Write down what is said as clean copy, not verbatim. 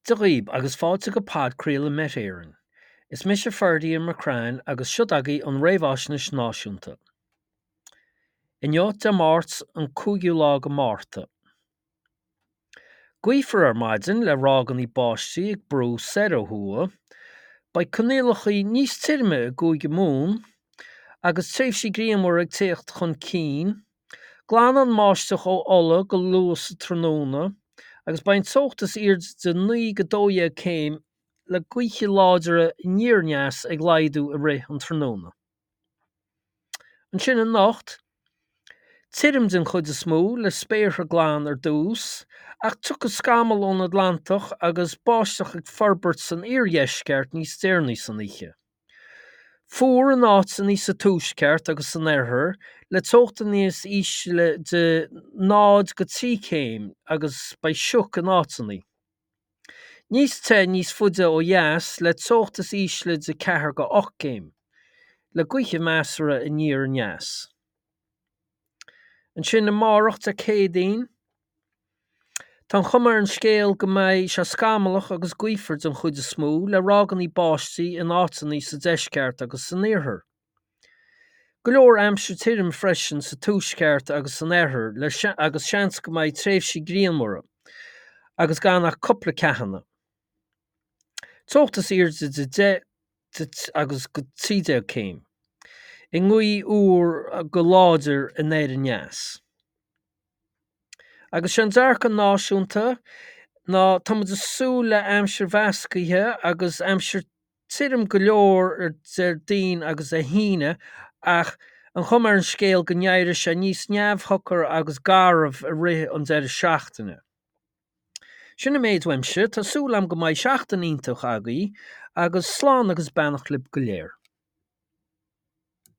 Dia dhaoib agus fáilte go podchraoladh Met Éireann. Is mise Ferdia McCrann agus seo agaibh an Réamhaisnéis Náisiúnta. Inniu, Dé Máirt an 5ú lá go Márta. Gaofar ar maidin le ráigeanna báistí ag brú soir ó thuaidh. Beidh coinníollacha níos tirime i gCúige Mumhan agus tréimhsí grianmhara ag tíocht chun cinn. Glanfaidh an mbáisteach ó Ulaidh go luath sa tráthnóna agus beidh an teocht is airde de 9-12 céim le gaotha láidre aniar aneas ag laghdú i rith an tráthnóna. Ansin anocht, tirim den chuid is mó le spéartha glan ar dtús ach tiocfaidh scamaill ón Atlantach agus báisteach ag forbairt san iardheisceart níos deireanaí san oíche. Fuar in áiteanna sa tuaisceart agus san oirthear, le teochtanna is ísle de 0-3 céim agus beidh sioc in áiteanna. Níos te níos faide ó dheas le teocht is ísle de 4-8 céim, le gaotha measartha aniar aneas. Ansin amárach Dé Céadaoin, tá an chuma ar an scéal go mbeidh sé scamallach agus gaofar den chuid is mó, le ráigeanna báistí in áiteanna sa deisceart agus san iarthar. Go leor aimsir tirim freisin sa tuaisceart agus san oirthear le agus seans go mbeidh tréimhsí grianmhara agus gan ach cúpla ceathanna. Teocht is airde de 10 agus go 13 céim, i ngaoth úr go láidir anoir aneas. Agus sé an dearcadh náisiúnta ná tá muid ag súil le aimsir mheascaithe agus aimsir tirim go leor ar Déardaoin agus Dé hAoine ach an chuma ar an scéal go n-éireoidh sé níos neamhshocair agus garbh i rith an deireadh seachtaine. Sin an méid uaimse, tá súil agam go mbeidh seachtain iontach agaibh agus slán agus beannacht libh go léir.